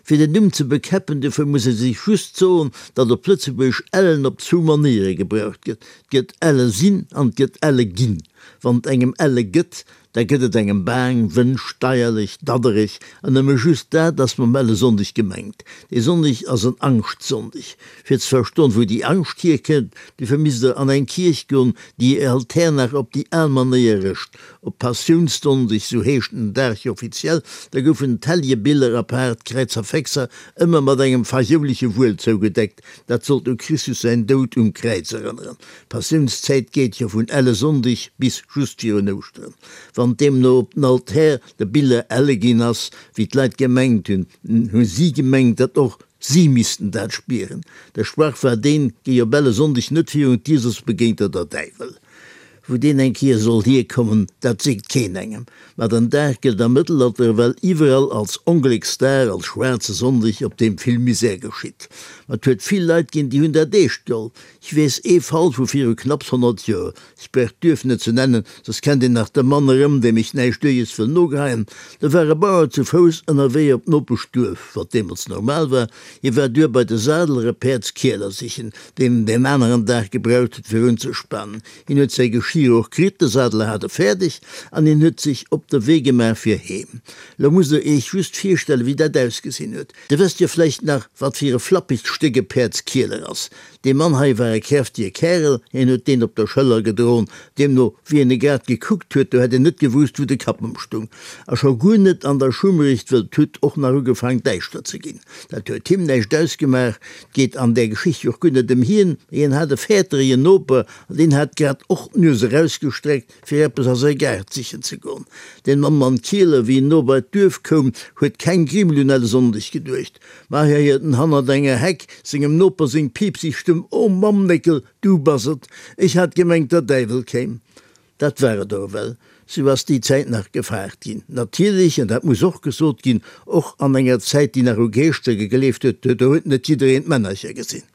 Fir den Numm ze bekäppen, dofir muss ee sech just soen, datt op Lëtzebuergesch ellen op zwou Manéiere gebraucht gëtt, 't gëtt elle sinn an 't gëtt elle ginn. Wann 't engem elle gëtt, da gëtt et engem baang, wënsch, deierlech, daddereg, an nëmme just dat ass mam Ellesonndeg gemengt. Dee Sonndeg ass en Angschtsonndeg. Fir ze verstoen, wou déi Angscht hierkënnt, dofir misst der an eng Kierch goen, déi hir Altär nach op déi al Manéier rëscht. Op Passiounssonndeg, sou heescht den Dag jo offiziell, da goufen d'Helljebiller apaart Kräizerfexer ëmmer mat engem fajouleche Wuel zougedeckt, dat sollt u Christus säin Doud um Kräiz erënneren. D'Passiounszäit geet jo vun Ellesonndeg bis just virun Ouschteren. Wann deemno op den Altär de Biller elle ginn ass, wéi d'Leit gemengt hunn, hu si gemengt, datt och si missten dat spieren. De Sprach war deen, Géi op Ellesonndeg net virun d'Dier, soss begéint der der Däiwel. Wou deen eng Kéier soll hierkommen, dat seet keen engem. Ma den Dag gëllt am Mëttelalter ewell iwwerall als Onglécksdag, als schwaarze Sonndeg, op deem vill Misär geschitt. Ma et huet vill Leit ginn, déi hunn dat eescht geholl. Ech weess ee Fall vu viru knapps 100 Joer, ech brauch d'Duerf net ze nennen, soss kennt een nach de Mann erëm, deem ech näischt Duerjes wëll nogeheien. Do war e Bauer zu Fouss ënnerwee op d'Nopeschduerf, wat deemools normal war. Hie war duer bei de Sadeler e Päerdskieler sichen, deen en deen aneren Dag gebraucht huet fir unzespanen. Hien huet säi Geschir och kritt, de Sadeler hat e fäerdeg an hien huet sech op de Wee gemaach fir heem. Lo musst der iech just virstellen, wéi dat ausgesinn huet. Dir wësst jo vläicht nach, wat fir e flappegt Stéck e Päerdskieler ass. Dee Mann hei war e kräftige Kärel, hien huet deen op der Schëller gedroen. Deemno, wéi en e grad gekuckt huet, do hätt een net gewusst, wou de Kapp ëm stung. A scho guer net an der Schummerecht, wëll 't huet och nach ugefaang däischter ze ginn. Dat huet him näischt ausgemaach. 't geet an där Geschicht jo och guer net ëm hien, mee hien hat e fäerterege Noper, an deen hat grad och d'Nues erausgestreckt, fir eppes a säi Gaart sichen ze goen. Deen Mann mam Kieler, wéi en no bei d'Duerf koum, huet keng Grimmel un Ellesonndeg geduecht. Ma hei héiert en hannert enger Heck sengem Noper seng piipseg Stëmm, O Mamm-Néckel, du bass et! Ech hat gemengt, der Däiwel kéim. Dat war et och ewell. Sou ass déi Zäit nach gefaart ginn. Natierlech, an dat muss och gesot ginn, och an enger Zäit, déi nach u Geeschter gegleeft huet, do huet net jiddereen d'Männercher gesinn.